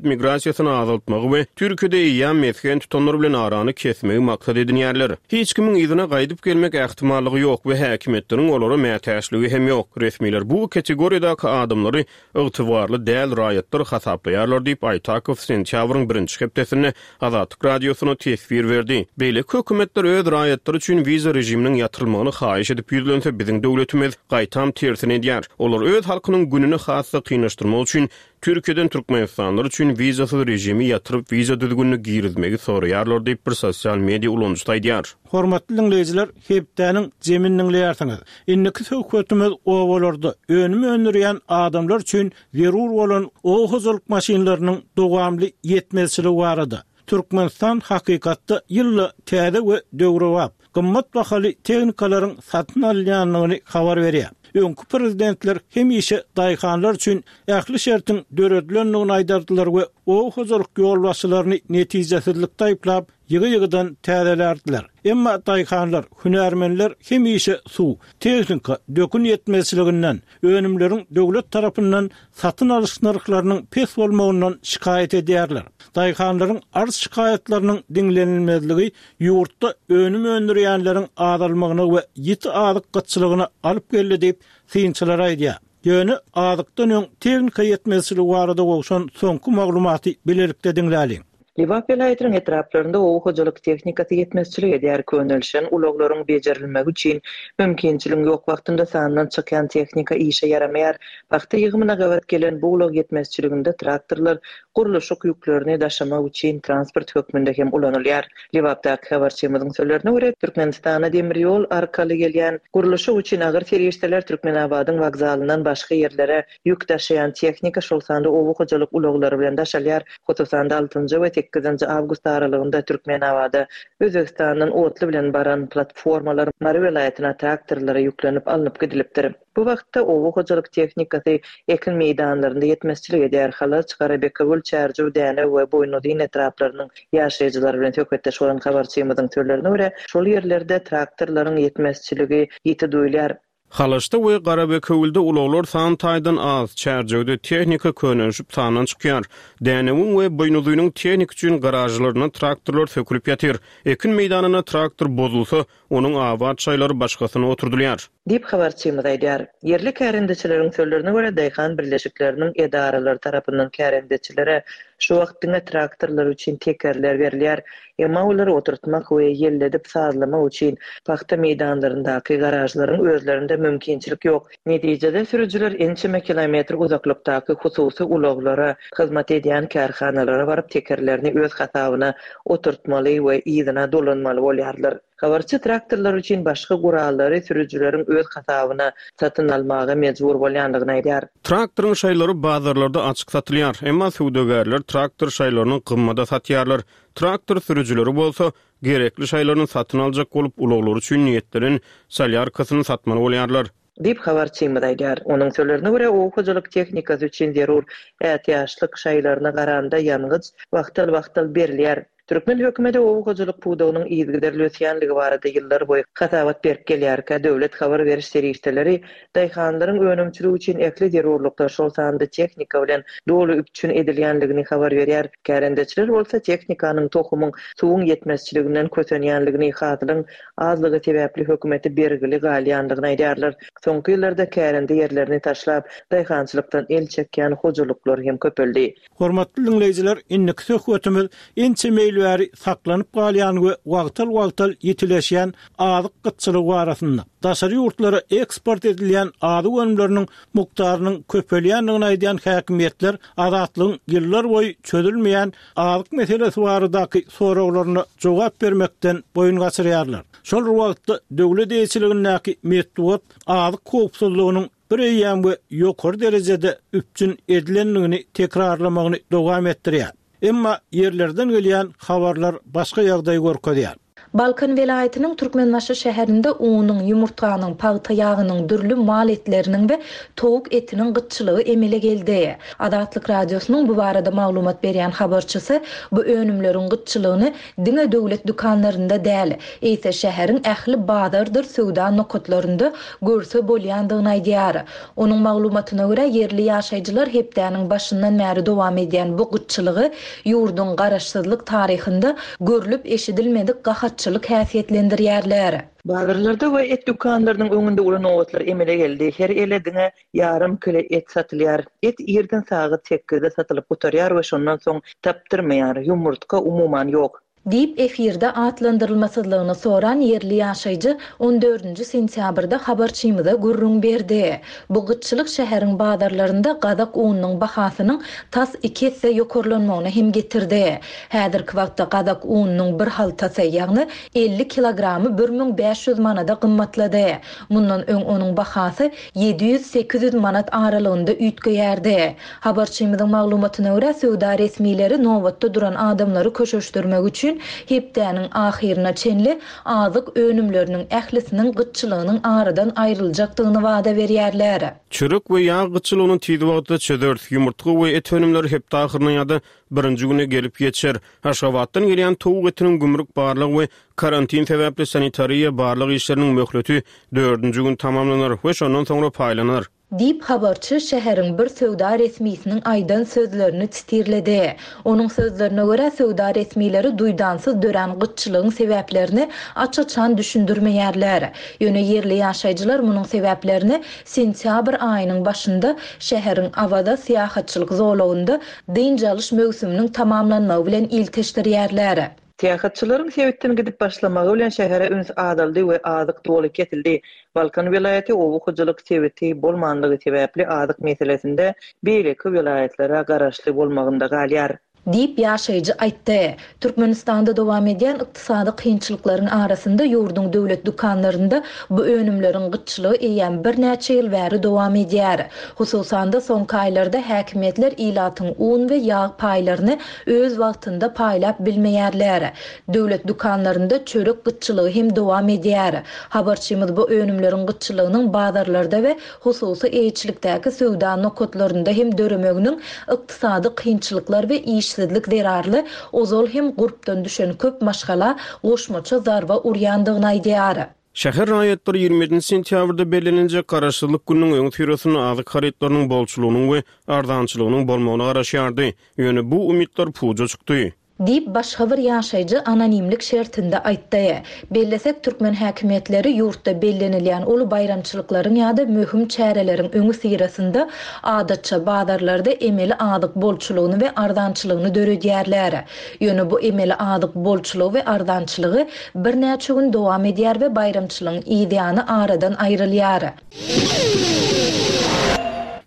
Migrasiýasyny azaltmagy we Türkiýede eýýäm mesgen tutanlar bilen arany kesmegi maksat edinýärler. Hiç kimiň yzyna gaýdyp gelmek ähtimallygy ýok we häkimiýetleriň olara mätäçligi hem ýok. Resmiler bu kategoriýadaky adamlary ygtybarly däl raýatlar hasaplaýarlar diýip, Aýtakow sentýabryň birinji hepdesinde Azatlyk Radiosyna teswir berdi. Beýleki hökümetler öz raýatlary üçin wiza režiminiň ýatyrylmagyny haýyş edip ýüzlense, biziň döwletimiz, gaýtam, tersini edýär. Olar öz halkynyň gününi has-da kynlaşdyrmak üçin Türkiýeden türkmenistanlylar üçin wizasyz režimi ýatyryp wiza düzgünini girizmegi soraýarlar diýip bir sosial media ulanyjysy aýdýar. Hormatly diňleýjiler, hepdäniň jemini diňleýärsiňiz. Indiki söhbetimiz obalarda önüm öndürýän adamlar üçin zerur bolan oba hojalyk maşynlarynyň dowamly ýetmezçiligi barada. Türkmenistan hakykatda ýylda täze we döwrebap, gymmat bahaly tehnikalaryň satyn alynýandygyny habar berýär. Öňki prezidentler hemişe daýhanlar üçin ähli şertiň döredilendigini aýdardylar we oba hojalyk ýolbaşçylaryny netijesizlikde aýyplap, ýygy-ýygydan täzelärdiler. Emma daýhanlar, hünärmenler hemişe suw, tehnika, dökün ýetmezçiliginden, önümleriň döwlet tarapyndan satyn alyş nyrhlarynyň pes bolmagyndan şikaýat edýärler. Daýhanlaryň arz-şikaýatlarynyň diňlenilmezligi ýurtda önüm öndürýänleriň azalmagyna we ýiti azyk gytçylygyna alyp geldi diýip, synçylar aýdýar. Ýöne azykdan öň tehnika ýetmezçiligi barada gowşan soňky maglumaty bilelikde diňläliň. Lebap welaýatynyň etraplarynda oba hojalyk tehnikasy ýetmezçilik edýär. Könelişen ulaglaryň bejerilmegi üçin mümkinçiligiň ýok wagtynda sandan çykýan tehnika işe ýaramaýar. Pagta ýygymyna gabat gelen bu ulag ýetmezçiliginde traktorlar gurluşyk ýüklerini daşamak üçin transport hökmünde hem ulanylýar. Lebapdaky habarçymyzyň sözlerine görä, Türkmenistana demir ýol arkaly gelýän gurluşyk üçin agyr serişdeler Türkmenabadyň wokzalyndan başga ýerlere Ýük daşaýan tehnika, şol sanda oba hojalyk ulaglary bilen daşalýar. Hususan-da, altynjy we sekizinji awgust aralygynda Türkmenabada Özbegistandan otly bilen baran platformalar Mary welaýatyna traktorlara ýüklenip alnyp gidilipdir. Bu wagtda oba hojalyk tehnikasy ekin meýdanlarynda ýetmezçilik edýär. Halaç, Garabekewül, Çärjew, Dänew we Boýnuzyn etraplarynyň ýaşaýjylary bilen söhbetdeş bolan habarçymyzyň sözlerine görä, şol ýerlerde traktorlaryň ýetmezçiligi ýiti duýulýar. Halaçda we Garabekewülde ulaglar san taýdan az, Çärjewde tehnika könelişip sandan çykýar. Dänewiň we Buýnuzynyň tehnika üçin garažlarynda traktorlar sökülip ýatyr. Ekin meýdanynda traktor bozulsa, onuň abat şaýlary başgasyna oturdylýar. Diýip, habarçymyz aýdýar. Ýerli kärendeçileriň sözlerine görä, daýhan birleşikleriniň edaralary tarapyndan kärendeçilere şu wagt diňe traktorlar üçin tekerler berilýär. Emma olary oturtmak we ýelledip sazlamak üçin pagta meýdanlaryndaky garažlaryň özlerinde mümkinçilik ýok. Netijede sürüjiler ençeme kilometr uzaklykdaky hususy ulaglara hyzmat edýän kärhanalara baryp tekerlerini öz hasabyna oturtmaly we yzyna dolanmaly bolýarlar. Habarçy traktorlar üçin başga gurallary sürüjileriň öz hasabyna satyn almaga mejbur bolýandygyny aýdýar. Traktoryň şaýlary bazarlarda açyk satylýar. Emma söwdagärler traktor şaýlaryny gymmada satýarlar. Traktor sürüjileri bolsa, gerekli şaýlaryny satyn aljak bolup, ulaglary üçin niýetlenen solýarkasyny satmaly bolýarlar. Diýip, habarçymyz aýdýar. Onuň sözlerine görä, oba hojalyk tehnikasy üçin zerur ätiýaçlyk şaýlaryna garanda ýangyç wagtal-wagtal berilýär. Türkmen hökümeti oba hojalyk pudagynyň yzygiderli ösýänligi barada ýyllarboýy hasabat berip gelýärkä, döwlet habar beriş serişdeleri daýhanlaryň önümçiligi üçin ähli zerurlyklar, şol sanda tehnika bilen doly üpjün edilýänligini habar berýär. Kärendeçiler bolsa tehnikanyň, tohumyň, suwuň ýetmezçiliginden kösenýänligini, hasylyň azlygy sebäpli hökümete bergili galýandygyny aýdýarlar. Soňky ýyllarda kärende ýerlerini taşlap, daýhançylykdan el çekýän hojalyklar hem köpeldi. Hormatly diňleýjiler, indiki söhbetimiz ençeme ýyl bäri saklanyp galýan we wagtal-wagtal ýitileşýän azyk gytçylygy barasynda. Daşary ýurtlara eksport edilýän azyk önümleriniň mukdarynyň köpelýändigini aýdýan häkimiýetler Azatlygyň ýyllarboýy çözülmeýän azyk meselesi baradaky soraglaryna jogap bermekden boýun gaçyrýarlar. Şol bir wagtda, döwlet eýeçiligindäki metbugat azyk howpsuzlygynyň bir eýýäm we ýokary derejede üpjün edilendigini tekrarlamagyny dowam etdirýär. Emma ýerlerden gelýän habarlar başga ýagdaýy görkezýär. Balkan welaýatynyň Türkmenbaşy şäherinde unuň, ýumurtganyň, pagta ýagynyň, dürli mal etleriniň we towuk etiniň gytçylygy emele geldi. Azatlyk Radiosynyň bu barada maglumat berýän habarçysy bu önümleriň gytçylygyny diňe döwlet dükanlarynda däl, eýse şäheriň ähli bazardyr söwda nokatlarynda görse bolýandygyny aýdýar. Onuň maglumatyna görä, ýerli ýaşaýjylar hepdäniň başyndan bäri dowam edýän bu gytçylygy ýurduň garaşsyzlyk taryhynda görlüp-eşidilmedik gahatçylyk häsiýetlendirýärler. Bazarlarda we et dükanlarynyň öňünde uly nobatlar emele geldi. Her ele diňe ýarym kile et satylýar. Et irden sagat sekizde satylyp gutarýar we şondan soň tapdyrmaýar. Ýumurtga umuman ýok. Diýip, efirde atlandyrylmasyzlygyny soran ýerli ýaşaýjy on dördünji sentýabrda habarçymyza gürrüň berdi. Bu gytçylyk şäheriň bazarlarynda gazak ununyň bahasynyň tas iki esse ýokarlanmagyna hem getirdi. Häzirki wagtda gazak ununyň bir haltasy, ýagny 50 kilogramy 1500 manada gymmatlady. Mundan öň onuň bahasy 700-800 manat aralygynda üýtgeýärdi. Habarçymyzyň maglumatyna görä, söwda resmileri nobatda duran adamlary köşeşdirmek üçin hepdäniň ahyryna çenli azyk önümleriniň ählisiniň gytçylygynyň aradan aýryljakdygyny wada berýärler. Çörek we ýag gytçylygyny tiz wagtda çözeris. Ýumurtga we et önümleri hepde ahyryna ýa-da birinji güne gelip ýetişer. Aşgabatdan gelýän towuk etiniň gümrük barlag we karantin sebäpli sanitariýa barlag işleriniň möhleti dördünji gün tamamlanar we şondan soňra paýlanar. Diýip, habarçy şäheriň bir söwda resmisiniň aýdan sözlerini sitirledi. Onuň sözlerine görä, söwda resmileri duýdansyz dörän gytçylygyň sebäplerini aç-açan düşündirmeýärler. Ýöne ýerli ýaşaýjylar munuň sebäplerini sentýabr aýynyň başynda şäheriň Awaza syýahatçylyk zolagynda dynç alyş möwsüminiň tamamlanmagy bilen ilteşdirýärler. Syýahatçylaryň sebitden gidip başlamagy bilen şähere üns azaldy we azyk doly kesildi. Balkan welaýaty oba hojalyk sebiti bolmanlygy sebäpli azyk meselesinde beýleki welaýatlara garaşly bolmagynda galýar. Diýip, ýaşaýjy aýtdy. Türkmenistanda dowam edýän ykdysady kynçylyklaryň arasynda ýurduň döwlet dükanlarynda bu önümleriň gytçylygy eýýäm birnäçe ýyl bäri dowam edýär. Hususan-da, soňky aýlarda häkimiýetler ilatyň un we ýag paýlaryny öz wagtynda paýlap bilmeýärler. Döwlet dükanlarynda çörek gytçylygy hem dowam edýär. Habarçymyz bu önümleriň gytçylygynyň bazarlarda we hususy eýeçilikdäki söwda nokatlarynda hem döremeginiň ykdysady kynçylyklar we işsizlik zerarly ozal hem gurpdan düşen köp maşgala goşmaça zarba urýandygyny aýdýar. Şäher raýatlary 27 sentýabrda belleniljek Garaşsyzlyk gününiň öňüsyrasynda azyk harytlarynyň bolçulygynyň we arzançylygynyň bolmagyna garaşýardy. Ýöne bu umytlar puja çykdy. Diýip, başga bir ýaşaýjy anonimlik şertinde aýtdy. Bellesek, türkmen häkimiýetleri ýurtda bellenilýän uly baýramçylyklaryň ýa-da möhüm çäreleriň öňüsyrasynda, adatça, bazarlarda emeli azyk bolçulygyny we arzançylygyny döredýärler. Ýöne bu emeli azyk bolçulygy we arzançylygy birnäçe gün dowam edýär we baýramçylygyň yzýany aradan aýrylýar.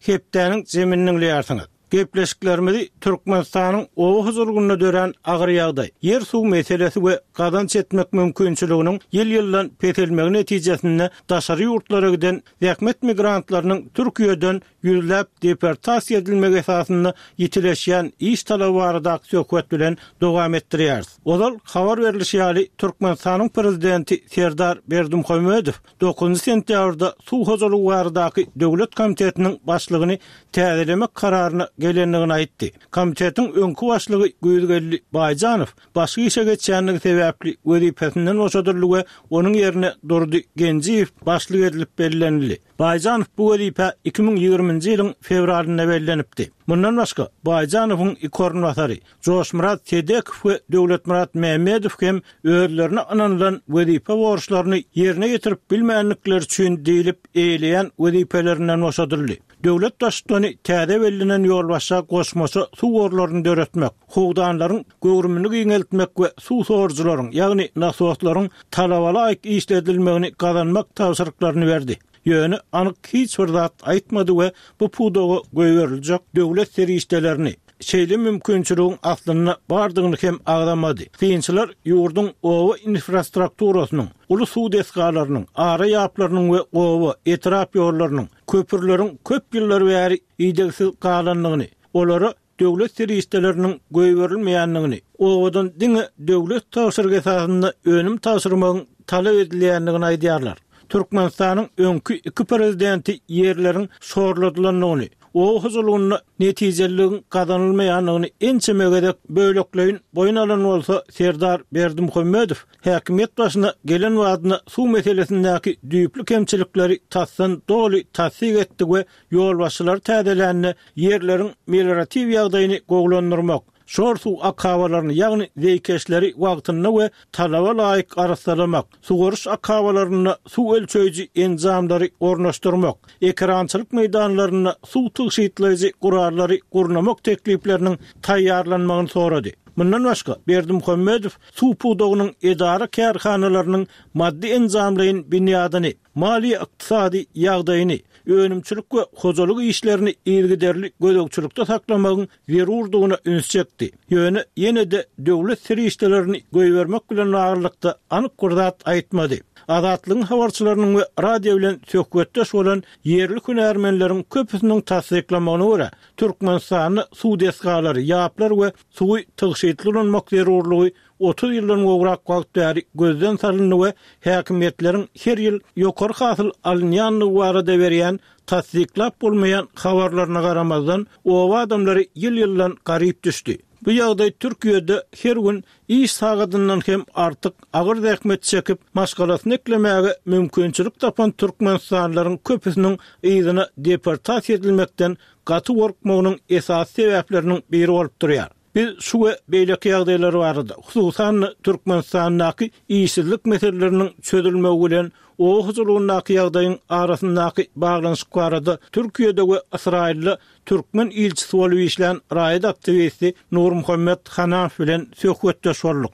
Hepdäniň jemini diňleýärsiňiz. Gepleşiklerimizi Türkmenistanyň oba hojalygynda dörän agyr ýagdaý, ýer-suw meselesi we gazanç etmek mümkinçiliginiň ýyl-ýyldan peselmegi netijesinde daşary ýurtlara giden zähmet migrantlarynyň Türkiýeden ýüzläp deportasiýa edilmegi esasynda ýitileşýän iş talaby baradaky söhbet bilen dowam etdirýäris. Ozal habar berlişi ýaly, Türkmenistanyň Prezidenti Serdar Berdimuhamedow dokuzynjy sentýabrda Suw hojalygy baradaky döwlet komitetiniň başlygyny täzelemek kararyna gelendigini aýtdy. Komitetiň öňki başlygy Güýzgeldi Baýjanow başga işe geçýändigi sebäpli wezipesinden boşadyldy we onuň ýerine Durdy Genjiýew başlyk edilip bellenildi. Baýjanow bu wezipä 2020-nji ýylyň fewralynda bellenipdi. Mundan başga, Baýjanowyň iki orunbasary, Joşmyrat Sedekow we Döwletmyrat Mämmedow hem özlerine ynanylan wezipe borçlaryny ýerine ýetirip bilmändikleri üçin diýlip eýeleýän wezipelerinden boşadyldy. Döwlet Baştutany täze bellenen ýolbaşça goşmaça suw gorlaryny döretmek, howdanlaryň göwrümini giňeltmek we suw sorujylaryň, ýagny nasoslaryň talabalaýyk işledilmegini gazanmak tabşyryklaryny berdi. Ýöne anyk hiç bir zat aýtmady we bu pudaga goýberiljek döwlet serişdelerini, şeýle mümkinçiligiň aslynda bardygyny hem agzamady. Synçylar ýurduň oba infrastrukturasynyň, uly suw desgalarynyň, ara ýaplarynyň we oba, etrap ýollarynyň, köprüleriň köp ýyllar bäri idegsiz galandygyny, olara. döwlet serişdeleriniň goýberilmeýändigini, obadan diňe döwlet tabşyrygy esasynda önüm tabşyrmagyň talap edilýändigini aýdýarlar. Türkmenistanyň öňki iki prezidenti ýerleriň şorladylandygyny, oba hojalygynda netijeliligiň gazanylmaýandygyny ençeme gezek bölekleýin boýun alan bolsa, Serdar Berdimuhamedow häkimiýet başyna gelen badyna suw meselesindäki düýpli kemçilikleri tasdan doly tassyk etdi we ýolbaşçylary täzelände ýerleriň melioratiw ýagdaýyny gowulandyrmak, şor suw akabalaryny, ýagny zeýkeşleri wagtynda we talaba laýyk arassalamak, suwaryş akabalarynda suw ölçeýji enjamlary ornaşdyrmak, ekerançylyk meýdanlarynda suw tygşytlaýjy gurallary gurnamak teklipleriniň taýýarlanmagyny sorady. Mundan başga, Berdimuhamedow suw pudagynyň edara-kärhanalarynyň maddy-enjamlaýyn binýadyny, maliýe-ykdysady ýagdaýyny, önümçilik we hojalyk işlerini yzygiderli gözegçilikde saklamagyň zerurdygyna üns çekdi. Ýöne ýene-de döwlet serişdelerini goýbermek bilen baglylykda anyk bir zat aýtmady. Azatlygyň habarçylarynyň we radio bilen söhbetdeş bolan ýerli hünärmenleriň köpüsiniň tassyklamagyna görä, Türkmenistanda suw desgalary, ýaplar we suwy tygşytly ulanmak zerurlygy 30 ýyldan gowrak wagt bäri gözden salyndy we häkimiýetleriň her ýyl ýokary hasyl alynýandygy barada berýän tassyklap bolmaýan habarlaryna garamazdan, oba adamlary ýyl-ýyldan garyp düşdi. Bu ýagdaý Türkiýede her gün iş sagadyndan hem artyk agyr zähmet çekip, maşgalasyny eklemäge mümkinçilik tapan türkmenistanlylaryň köpüsiniň yzyna deportasiýa edilmekden gaty gorkmagynyň esasy sebäpleriniň biri bolup durýar. Biz şu we beýleki ýagdaýlar barada, hususan-da, Türkmenistandaky işsizlik meseleleriniň çözülmegi bilen oba hojalygyndaky ýagdaýyň arasyndaky baglanyşyk barada Türkiýede we Ysraýylda türkmen ilçisi bolup işlän raýat aktiwisti Nurmuhammet Hanamow bilen söhbetdeş bolduk.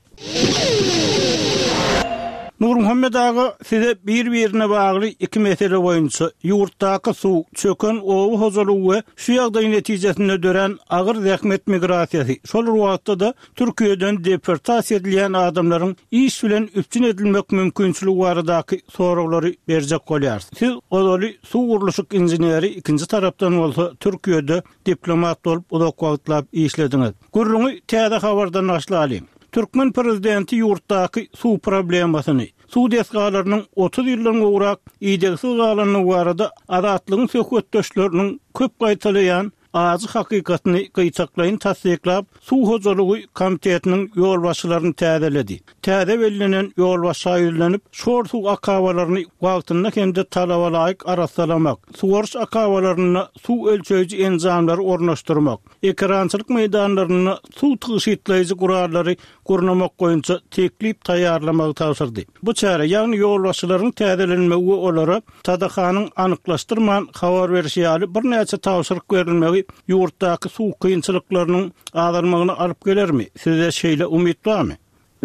Nurmuhammet aga, size bir-birine bagly iki mesele boýunça, ýurtdaky suw, çöken oba hojalygy we şu ýagdaý netijesinde dörän agyr zähmet migrasiýasy, şol bir wagtda-da Türkiýeden deportasiýa edilýän adamlaryň iş bilen üpjün edilmek mümkinçiligi baradaky soraglary berjek bolýarys. Siz ozaly suw gurluşyk inženeri, ikinji tarapdan bolsa Türkiýede diplomat bolup uzak wagtlap işlediňiz. Gürrüňi täze habardan başlalyň. Türkmen prezidenti ýurtdaky suw problemasyny, suw desgalarynyň 30 ýyldan gowrak idegsiz galandygy barada Azatlygyň söhbetdeşleriniň köp gaýtalaýan ajy hakykatyny gytaklaýyn tassyklap, Suw hojalygy komitetiniň ýolbaşçylaryny täzeledi. Täze bellenen ýolbaşça ýüzlenip, şor suw akabalaryny wagtynda hem-de talabalaýyk arassalamak, suwaryş akabalarynda suw ölçeýji enjamlary ornaşdyrmak, ekerançylyk meýdanlarynda suw tygşytlaýjy gurallary gurnamak boýunça teklip taýýarlamagy tabşyrdy. Bu çäre, ýagny ýolbaşçylaryň täzelenmegi we olara TDH-nyň anyklaşdyrman habar berşi ýaly birnäçe tabşyryk berilmegi ýurtdaky suw kynçylyklarynyň azalmagyna alyp gelermi? Sizde şeýle umyt barmy?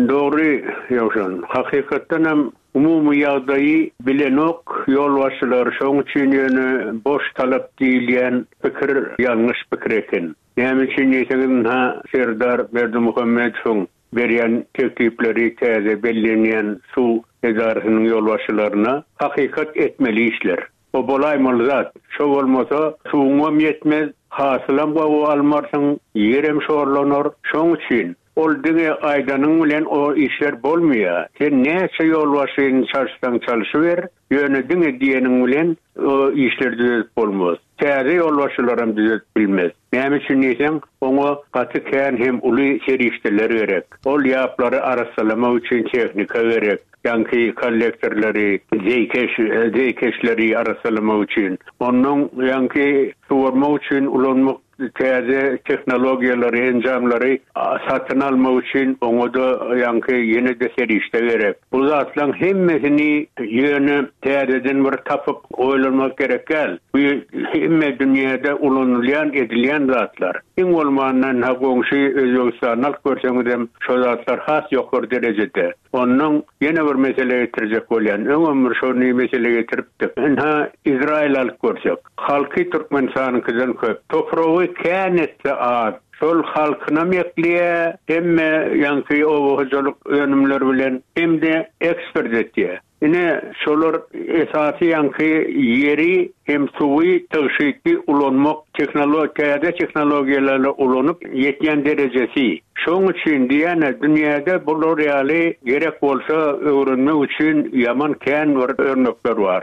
Dogry, Ýowşan. Hakykatdan hem umumy ýagdaýy bilenok ýolbaşçylar, şoň üçin ýöne boş talap diýilýän pikir ýalňyş pikir eken. Näme üçin diýseňiz ynha Serdar Berdimuhamedowyň berýän teklipleri täze bellenýän suw edarasynyň ýolbaşçylaryna hakykat etmeli işler. O bolaýmaly zat. Şo bolmasa suwuňam ýetmez, hasylam gowy almarsyň, ýerem şorlanar. Şoň üçin ol diňe aýdanyň bilen o işler bolmaýar. Sen näçe ýolbaşçyny çalyşsaň çalyşyber, ýöne diňe diýeniň bilen o işleri düzedip bolmaz. Täze ýolbaşçylaram düzedip bilmez. Näme üçin diýseň, oňa gaty kän hem uly serişdeler gerek. Ol ýaplary arassalamak üçin tehnika gerek, ýaňky kollektorlary, zeýkeş, zeýkeşleri arassalamak üçin. Onnoň ýaňky suwarmak üçin ulanmak täze tehnologiýalary, enjamlary satyn almak üçin oňa-da ýaňky ýene-de serişde gerek. Bu zatlaň hemmesini ýöne täzeden bir tapyp oýlanmak gerek däl. Bu hemme dünýäde ulanylýan, edilýän zatlar. Iň bolmanda ynha goňşy Özbegistany alyp görseňizem şo zatlar has ýokary derejede. Onnoň ýene bir mesele getirjek bolýan. Öňem bir şony mesele getiripdik. Ynha Izraýyly alyp görsek. Halky Türkmenistanyňkydan köp. Topragy kän etse az. Şol halkynam ekleýär, hemme ýaňky oba hojalyk önümleri bilen hem-de eksport etýär. Ine, şolar esasy ýaňky ýeri hem suwy tygşytly ulanmak, täze tehnologiýalary ulanyp ýetýän derejesi. Şoň üçin diýýän-ä, dünýäde bular ýaly gerek bolsa öwrenmek üçin ýaman kän bir örnekler bar.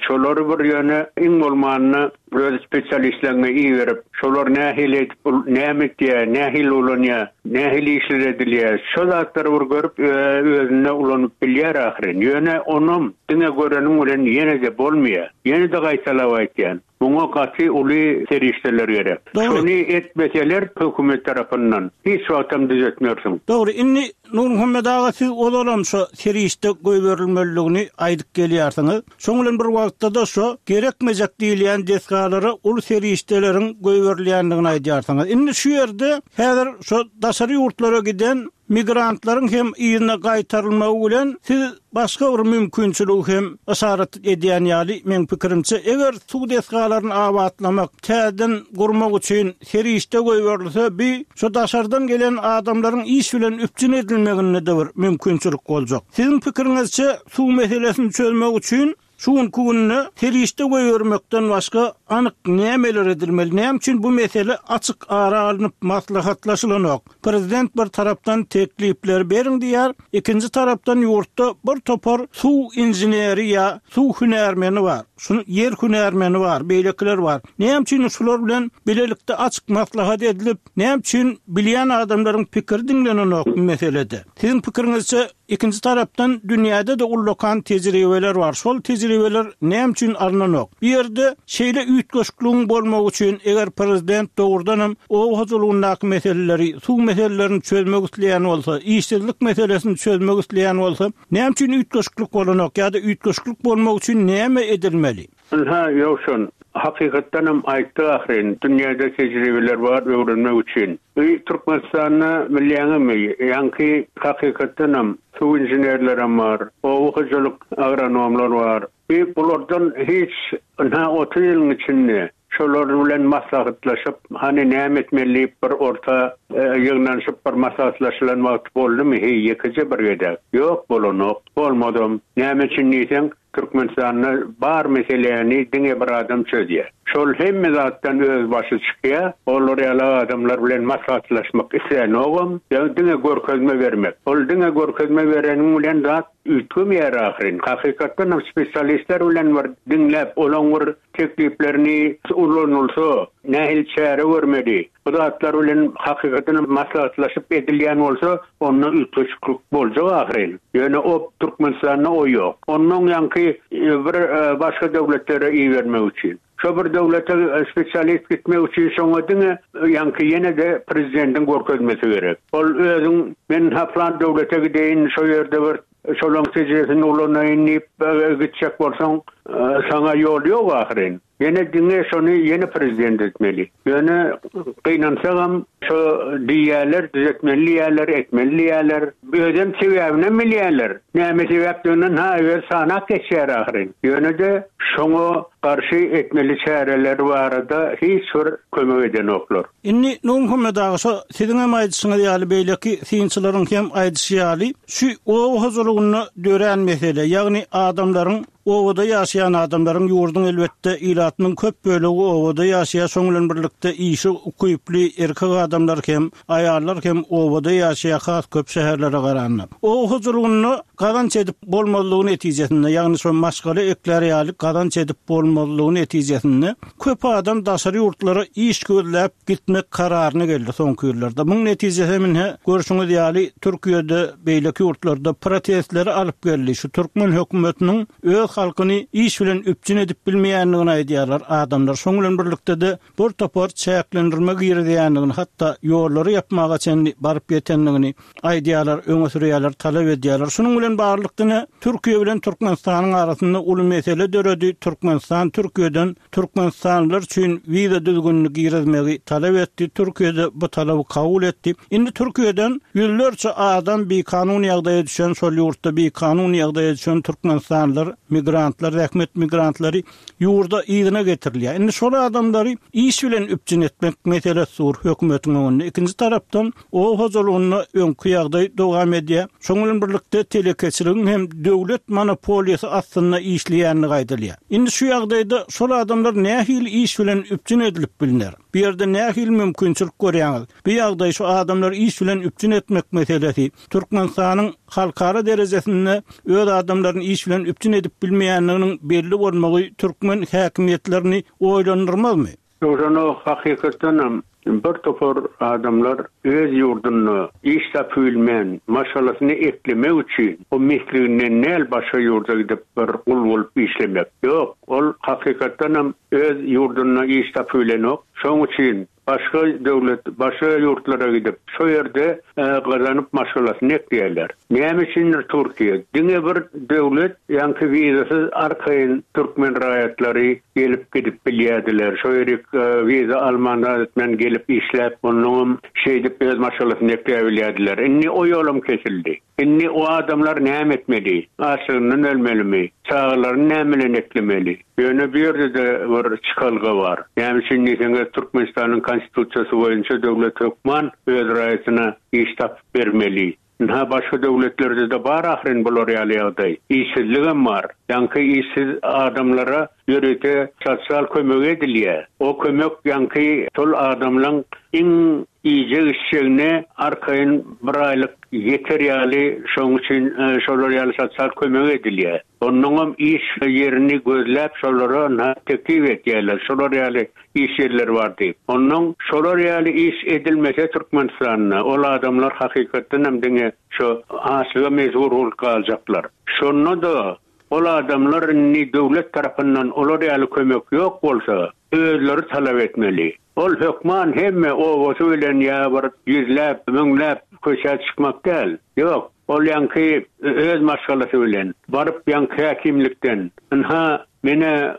Şolary bir ýöne iň bolmanda öz spesialistleňňe iberip, şolar nähili edip, näme etýär, nähili ulanýar, nähili işler edilýär, şo zatlary bir görüp özünde ulanyp bilýär ahyryn. Ýöne onam diňe göreniň bilen ýene-de bolmaýar. Ýene-de gaýtalap aýtýan, muňa gaty uly serişdeler gerek. Şony etmeseler hökümet tarapyndan hiç wagtam düzetmersiň. Dogry, indi Nurmuhammet aga siz ozalam şo serişde goýberilmelidigini aýdyp gelýärsiňiz. Şoň bilen bir wagtda-da şo gerekmejek diýilýän desgalara uly serişdeleriň goýberilýändigini aýdýarsyňyz. Indi şu ýerde häzir şo daşary ýurtlara giden migrantlaryň hem yzyna gaýtarylmagy bilen siz başga bir mümkinçiligi hem yşarat edýän ýaly, meň pikirimçe, eger suw desgalaryny abatlamak, täzeden gurmak üçin serişde goýberilse, bi şo daşardan gelen adamlaryň iş bilen üpjün edilmeginde-de bir mümkinçilik boljak. Siziň pikiriňizçe, Suw meselesini çözmek üçin şu günki günde serişde goýbermekden başga anyk nämeler edilmeli? Näme üçin bu mesele açyk ara alnyp maslahatlaşylanok? Prezident bir tarapdan teklipleri beriň diýýär, ikinji tarapdan ýurtda bir topar suw inženeri ýa suw hünärmeni bar, şu ýer hünärmeni bar, beýlekiler bar. Näme üçin şular bilen bilelikde açyk maslahat edilip, näme üçin bilýän adamlaryň pikiri diňlenenok bu meselede? Siziň pikiriňizçe Ikinji tarapdan dünýäde-de ullakan tejribeler bar. Şol tejribeler näme üçin alnanok? Bu ýerde şeýle üýtgeşikligiň bolmagy üçin eger prezident dogrudanam oba hojalygyndaky meseleleri, suw meselelerini çözmek isleýän bolsa, işsizlik meselesini çözmek isleýän bolsa, näme üçin üýtgeşiklik bolanok ýa-da üýtgeşiklik bolmagy üçin näme edilmeli? Ynha, Ýowşan, hakykatdanam aýtdy ahyryn, dünýäde tejribeler bar öwrenmek üçin. Bu Türkmenistanda bilýäňizmi, ýaňky hakykatdanam suw inženerlerem bar, oba hojalyk agronomlar bar. Bu bulardan hiç ynha 30 ýylyň içinde şolar bilen maslahatlaşyp, hany näme etmeli diýip bir orta ýygnanyşyp bir maslahatlaşylan wagty boldumy heý ýekeje bir gezek? Ýok, bolanok. Bolmadam. Näme üçin diýseň, Türkmenistanda bar meseläni diňe bir adam çözýär. Şol hemme zatdan öz başy çykýar. Olar ýaly adamlar bilen maslahatlaşmak islänogam. Ýa diňe görkezme bermek. Ol diňe görkezme bereniň bilen zat üýtgemeýär ahyryn. Hakykatdanam spesialistler bilen bir diňläp olaň bir tekliplerini ulanylsa nähili çäre görmeli. Bu zatlar bilen hakykatdan maslahatlaşyp edilýän bolsa, onda üýtgeşiklik boljak ahyryn. Ýöne o Türkmenistanda o ýok. Onnoň ýaňky bir başga döwletlere ibermek üçin. Şo bir döwlete spesialist gitmek üçin şoňa diňe ýaňky ýene-de prezidentiň görkezmesi gerek. Ol özüň men ha plan döwlete gideýin, şo ýerde bir şolaň tejribesini ulanaýyn diýip gitjek bolsaň, saňa ýol ýok ahyryn. Ýene diňe şony ýene prezident etmeli. Ýöne gynansagam şo diýýäler, düzetmeli diýýäler, etmeli diýýäler. Özem sebäbinem bilýäler. Näme sebäpdigini ha özi sanap geçýär ahyryn. Ýöne-de şoňa garşy etmeli çäreler barada hiç bir kömek edenoklar. Indi Nurmuhammet aga şo siziňem aýdyşyňyz ýaly beýleki synçylaryň hem aýdyşy ýaly şu oba hojalygynda dörän mesele ýagny adamlaryň Obada ýaşaýan adamlaryň ýurduň elbetde ilatynyň köp bölegi obada ýaşaýar, şoň bilen birlikde işe ukyply erkek adamlar hem, aýallar hem obada ýaşaýar has köp şäherlere garanda. Oba hojalygynda gazanç edip bolmazlygy netijesinde, ýagny şo maşgala eklär ýaly gazanç edip bolmazlygy netijesinde köp adam daşary ýurtlara iş gözläp gitmek kararyna geldi soňky ýyllarda. Muň netijesi hem ine görşüňiz ýaly Türkiýede, beýleki ýurtlarda protestleri alyp geldi. Şu türkmen hökümetiniň öz halkyny iş bilen üpjün edip bilmeýändigini aýdýarlar adamlar. Şoň bilen birlikde-de bir topar çäklendirme girizýändigini, hatda ýollary ýapmaga çenli baryp ýetendigini aýdýarlar, öňe sürýärler, talap edýärler. Şunuň bilen baglylykda ine Türkiýe bilen Türkmenistanyň arasynda uly mesele döredi. Türkmenistan Türkiýeden Türkmenistanlylar üçin wiza düzgünini girizmegi talap etdi, Türkiýe-de bu talaby kabul etdi. Indi Türkiýeden ýüzlerçe adam bikanun ýagdaýa düşen, şol ýurtda bikanun ýagdaýa düşen türkmenistanlylar, migrantlar, zähmet migrantlary ýurda yzyna getirilýär. Indi şol adamlary iş bilen üpjün etmek meselesi dur hökümetiň öňünde. Ikinji tarapdan, oba hojalygynda öňki ýagdaý dowam edýär. Şonuň bilen birlikde telekeçiler. telekeçiligiň hem döwlet monopoliýasy astynda işleýändigi aýdylýar. Indi şu ýagdaýda şol adamlar nähili iş bilen üpjün edilip bilner? Bu ýerde nähili mümkinçilik görýäňiz? Bu ýagdaý şu adamlary iş bilen üpjün etmek meselesi, Türkmenistanyň halkara derejesinde öz adamlaryny iş bilen üpjün edip bilmeýändiginiň belli bolmagy türkmen häkimiýetlerini oýlandyrmazmy? Ýogsa-da hakykatdanam bir topar adamlar öz ýurdunda iş tapybilmän, maşgalasyny eklemek üçin o mesliginden däl başga ýurda gidip bir gul bolup işlemek. Ýok, ol hakykatdanam öz ýurdunda iş tapybilenok. Şoň üçin Başga döwlet, başga ýurtlara gidip, şo ýerde gazanyp maşgalasyny ekleýärler. Näme üçindir Türkiýe diňe bir döwlet, ýaňky wizasyz arkaýyn türkmen raýatlary gelip gidip bilýärdiler. Şo ýerik wiza alman zat etmän gelip işläp, onnoňam şeýdip öz maşgalasyny ekläbilýärdiler. Indi o ýolam kesildi. Indi o adamlar näme etmeli? Açlygyndan ölmelimi? Çagalaryny näme bilen eklemeli? Ýöne bu ýerde-de bir çykalga bar. Näme üçin diýseňiz, Türkmenistanyň Konstitusiýasy boýunça döwlet hökman öz raýatyna iş tapyp bermeli. Ynha, başga döwletlerde-de bar ahyryn bular ýaly ýagdaý. Işsizligem bar. Ýaňky işsiz adamlara ýörite sosial kömek edilýär. O kömek ýaňky şol adamlaň iň iýjek-içjegine arkaýyn bir aýlyk ýeter ýaly şoň üçin şolar ýaly sosial kömek edilýär. Onnoňam iş ýerini gözläp şolara ynha teklip etýärler şolar ýaly iş ýerleri bar diýip. Onnoň şolar ýaly iş edilmese Türkmenistanda ol adamlar hakykatdanam diňe şo açlyga mejbur bolup galjaklar. Şonda-da ol adamlar indi döwlet tarapyndan olar ýaly kömek ýok bolsa özleri talap etmeli. Ol hökman hemme obasy bilen ýa bir ýüzläp, müňläp köçä çykmak däl. Ýok, ol ýaňky öz maşgalasy bilen baryp ýaňky häkimlikden, Ynha, men-ä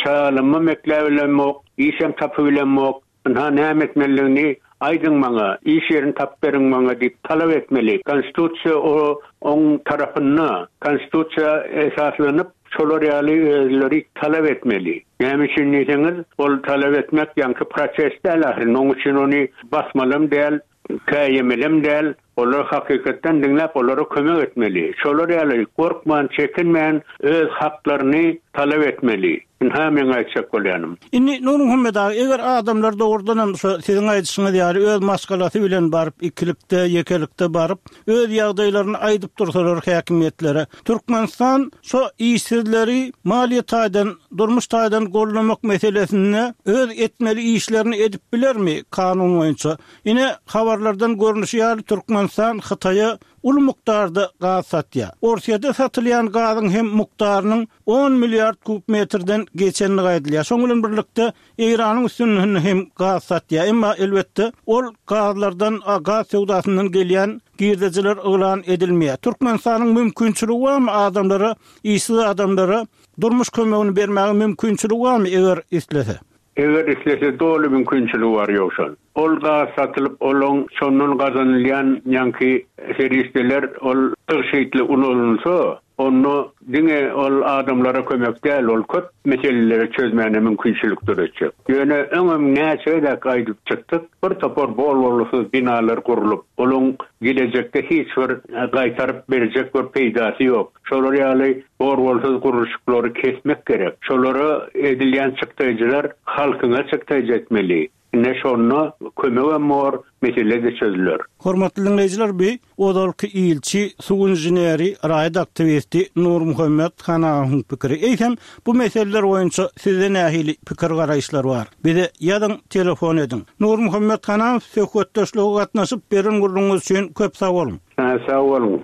çagalamam ekläbilemok, işem tapybilemok, ynha näme etmelidigini aýdyň maňa, iş ýerini tapyp beriň maňa diýip talap etmeli. Konstitusiýa o oň tarapynda. Konstitusiýa esaslanyp şolar ýaly özleri talap etmeli. Näme üçin diýseňiz, ol talap etmek ýaňky protest däl ahyryn, oň üçin ony basmalam däl, käýemelem däl, olary hakykatdan diňläp olara kömek etmeli. Şolar ýaly gorkman, çekinmän öz haklaryny talap etmeli. Ynha meň aýtjak bolýanym. Indi Nurmuhammet aga, eger adamlar dogrudanam şo siziň aýdyşyňyz ýaly öz maşgalasy bilen baryp, ikilikde, ýekelikde baryp, öz ýagdaýlaryny aýdyp dursalar häkimiýetlere, Türkmenistan şo işsizleri maliýe taýdan, durmuş taýdan goldamak meselesinde öz etmeli işlerini edip bilermi kanun boýunça? Ine, habarlardan görnüşi ýaly Türkmenistan Hytaýa uly mukdarda gaz satýar. Orsýede satylýan gazyň hem mukdarynyň on milliard kub metrden geçendigi aýdylýar. Şoň bilen birlikde Eýranyň üstünden hem gaz satýar. Emma, elbetde, ol gazlardan, gaz söwdasyndan gelýän girdejiler yglan edilmeýär. Türkmenistanyň mümkinçiligi barmy adamlara, işsiz adamlara durmuş kömegini bermäge mümkinçiligi barmy, eger islese? Eger islese doly mümkinçiligi bar Ýowşan. Ol gaz satylyp olaň şondan gazanylýan ýaňky serişdeler ol tygşytly ulanylsa, Onda diňe ol adamlara kömek däl, ol köp meseleleri çözmäne mümkinçilik döretjek. Ýöne öňem näçe gezek aýdyp çykdyk, bir topar bol-bolgusyz binalar gurlup, olaň gelejekde hiç bir gaýtaryp berjek bir peýdasy ýok. Şolar ýaly bor-bolsuz gurluşyklary kesmek gerek. Şolara edilýän çykdaýjylar halkyňa çykdaýjy etmeli. Ine şonda kömegem bor, mesele-de çözüler. Hormatly diňleýjiler bi ozalky ilçi, suw inženeri, raýat aktiwisti Nurmuhammet Hanahowyň pikiri. Eýsem bu meseleler boýunça sizde nähili pikir-garaýyşlar bar? Bize ýazyň, telefon ediň. Nurmuhammet Hanahow söhbetdeşlige gatnaşyp beren gürrüňiňiz üçin köp sag boluň. Sag boluň.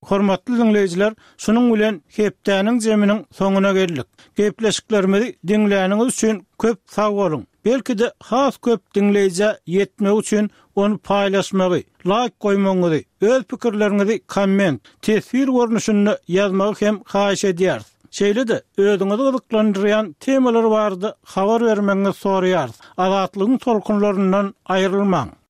Hormatly diňleýjiler Şunuň bilen hepdäniň jeminiň soňuna geldik. Gepleşiklerimizi diňläniňiz üçin köp sag boluň! Belki-de has köp diňleýjä ýetmegi üçin ony paýlaşmagy, laýk goýmagyňyzy, öz pikirleriňizi komment, teswir görnüşinde ýazmagy hem haýyş edýäris. Şeýle-de özüňizi gyzyklandyrýan temalar barada habar bermegiňizi soraýarys. Azatlygyň tolkunlaryndan aýrylmaň!